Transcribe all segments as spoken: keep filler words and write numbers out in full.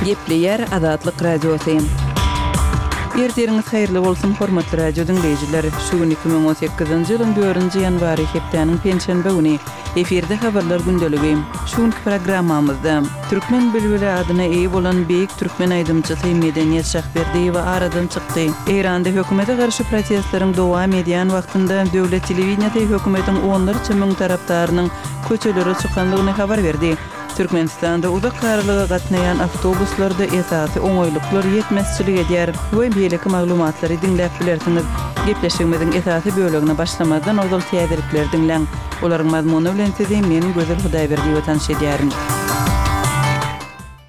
Gepleýär Azatlyk Radiosy. Ertiriňiz haýyrly bolsun, hormatly radio diňleýjiler! Şu gün iki müň on sekizinji ýylyň dördünji ýanwary, hepdäniň penşenbe güni. Efirde Habarlar gündeligi. Şu günki programmamyzda, Türkmen bilbili adyna eýe bolan beýik türkmen aýdymçysy Medeniýet Şahberdiýewa aradan çykdy. Eýranda hökümete garşy protestleriň dowam edýän wagtynda döwlet telewideniýesi hökümetiň onlarça müň tarapdarynyň köçelere çykandygyny habar berdi. Türkmenistanda uzak aralyga gatnaýan awtobuslarda esasy oňaýlyklar ýetmezçilik edýär we beýleki maglumatlary diňläp bilersiňiz. Gepleşigimiziň esasy bölegine başlamazdan ozal täzelikleri diňläň. Olaryň mazmuny bilen sizi men, Gözel Hudaýberdiýewa tanyş edýärin.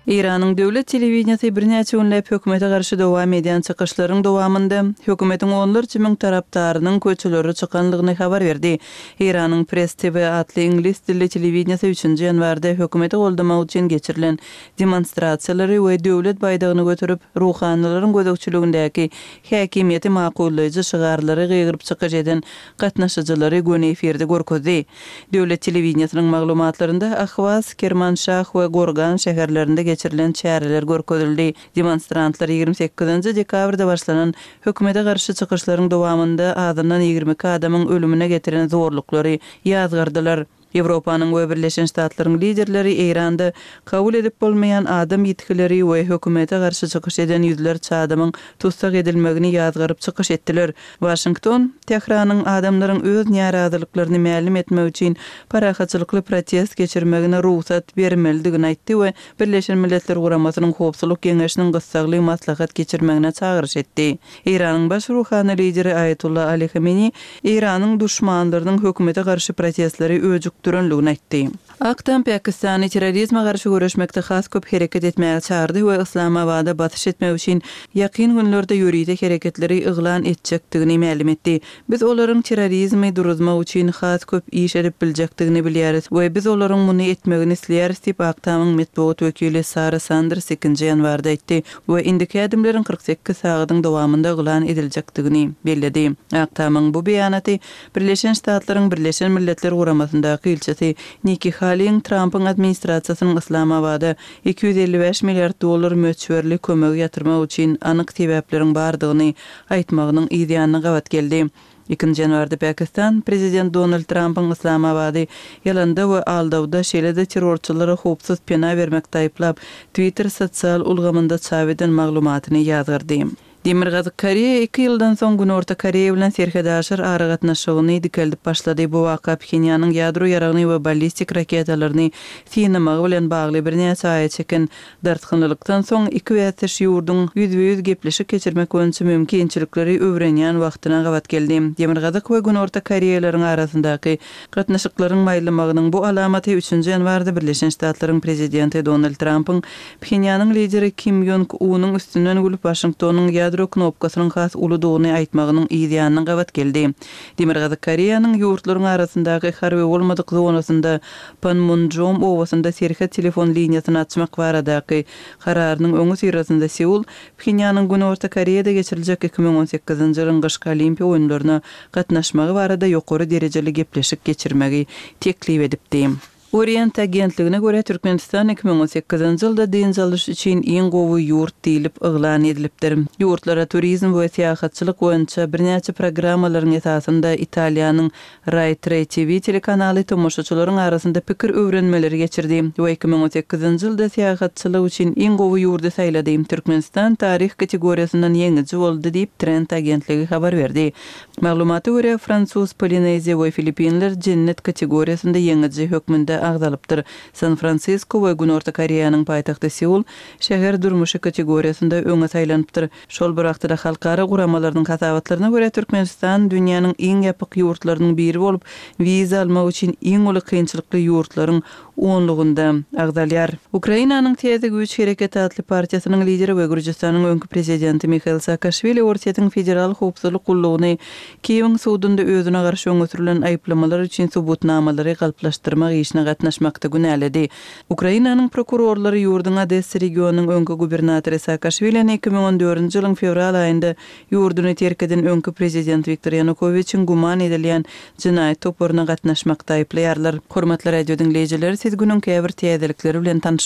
Eýranyň döwlet telewideniýesi birnäçe günläp hökümete garşy dowam edýän çykyşlaryň dowamynda, hökümetiň onlarça müň tarapdarynyň köçelere çykanlygyny habar berdi. Eýranyň Press T V atly iňlis dilli telewideniýesi üçünji ýanwarda hökümeti goldamak üçin geçirilen demonstrasiýalary we döwlet baýdagyny göterip, ruhanylaryň gözegçiligindäki häkimiýeti makullaýjy şygarlary gygyryp çykyş eden gatnaşyjylary göni efirde görkezdi. Döwlet telewideniýesiniň maglumatlarynda Ahwaz, Kermanşah we Gorgan şäherlerinde geçirilen çäreler görkezildi. Demonstrantlar ýigrimi sekizinji dekabrda başlanan hökümete garşy çykyşlaryň dowamynda azyndan ýigrimi iki adamyň ölümine getiren zorluklary ýazgardylar. Ýewropanyň we Birleşen Ştatlaryň liderleri Eýranda kabul edip bolmaýan adam ýitgileri we hökümete garşy çykyş eden ýüzlerçe adamyň tussag edilmegini ýazgaryp çykyş etdiler. Waşington, Tähranyň adamlaryň öz närazylyklaryny mälim etmek üçin parahatçylykly protest geçirmegine rugsat bermelidigini aýtdy we Birleşen Milletler Guramasynyň Howpsuzlyk Geňeşiniň gyssagly maslahat geçirmegine çagyryş etdi. Eýranyň baş ruhany lideri Aýatullah Ali Hameni Eýranyň duşmanlarynyň hökümete garşy protestleri öjükdirenligini aýtdy. Ak Tam Pakistany terrorizme garşy göreşmekde has köp hereket etmäge çagyrdy we Islamabada basyş etmek üçin ýakyn günlerde ýörite hereketleri yglan etjekdigini mälim etdi. Biz olaryň terrorizmi duruzmak üçin has köp iş edip biljekdigini bilýäris we biz olaryň muny etmegini isleýäris diýip Ak Tamyň metbugat wekili Sara Sanders ikinji ýanwarda aýtdy we indiki ädimleriň kyrk sekiz sagadyň dowamynda yglan ediljekdigini belledi. Ak Tamyň bu beýanaty Birleşen Ştatlaryň Birleşen Milletler Guramasyndaky ilçisi Nikki Haley'iň Trump'yň administrasiýasynyň Islamabada iki ýüz elli bäş milliard dollar möçberli kömegi ýatyrmak üçin anyk sebäpleriň bardygyny aýtmagynyň yz ýanyna gabat geldi. Ikinji ýanwarda Pakistan prezident Donald Trump'yň Islamabady ýalanda we aldawda, şeýle-de terrorçylara howpsuz pena bermekde aýyplap, Twitter sosial ulgamynda çap eden maglumatyny ýazgardy. Demirgazyk Koreýa iki ýyldan soň Günorta Koreýa bilen serhedaşar aragatnaşygyny dikeldip başlady. Bu waka Phenýanyň ýadro ýaragyny we ballistik raketalaryny synamagy bilen bagly birnäçe aýa çeken dartgynlylykdan soň iki bäsdeş ýurduň ýüzbe-ýüz gepleşik geçirmek boýunça mümkinçilikleri öwrenýän wagtyna gabat geldi. Demirgazyk we Günorta Koreýalaryň arasyndaky gatnaşyklaryň maýlamagynyň bu alamaty üçünji ýanwarda Birleşen Ştatlaryň prezidenti Donald Trumpyň Phenýanyň lideri Kim Ýong-unyň üstünden gülüp Waşingtonyň ýadro knopkasynyň has uludygyny aýtmagynyň yz ýanyna gabat geldi. Demirgazyk Koreýanyň ýurtlaryň arasyndaky harby bolmadyk zonasynda Panmunjom obasynda serhet telefon liniýasyny açmak baradaky kararynyň öňi syrasynda Seul Phenýanyň Günorta Koreýada geçiriljek iki müň on sekizinji ýylyň gyşky olimpiýa oýunlaryna gatnaşmagy barada ýokary derejeli gepleşik geçirmegi teklip edipdi. Orient agentligine görä, Türkmenistan iki müň on sekizinji ýylda dynç alyş üçin iň gowy ýurt diýlip yglan edilipdir. Ýurtlara turizm we syýahatçylyk boýunça birnäçe programmalaryň esasynda Italiýanyň Rai Tre T V telekanaly tomaşaçylaryň arasynda pikir öwrenmeleri geçirdi we iki müň on sekizinji ýylda syýahatçylyk üçin iň gowy ýurdy saýlady. Türkmenistan taryh kategoriýasyndan ýeňiji boldy diýip Trend agentligi habar berdi. Maglumata görä, Fransuz, Polineziýa we Filippinler jennet kategoriýasynda ýeňiji hökmünde agzalypdyr. San Fransisko we Günorta Koreýanyň paýtagty Seul şäher durmuşy kategoriýasynda öňe saýlanypdyr. Şol bir wagtda halkara guramalarynyň hasabatlaryna görä, Türkmenistan dünýäniň iň ýapyk ýurtlarynyň biri bolup, wiza almak üçin iň uly kynçylykly ýurtlaryň onlugynda agzalýar. Ukrainanyň Täze Güýç Hereketi atly partiýasynyň lideri we Gürjüstanyň öňki prezidenti Mihail Saakaşwili Orsýetiň Federal Howpsuzlyk gullugyny Kiýewiň sudunda özüne garşy öňe sürülen aýyplamalar üçin subutnamalary galplaşdyrmak işine gatnaşmakda günäledi. Ukrainanyň prokurorlary ýurduň Odessa regionynyň öňki gubernatory Saakaşwilini iki müň on dördünji ýylyň fewral aýynda ýurduny terk eden öňki prezident Wiktor Ýanukowiçiň güman edilýän jenaýat toparyna gatnaşmakda aýyplaýarlar. Hormatly radio diňleýjiler, siz günüň käbir täzelikleri bilen tanyş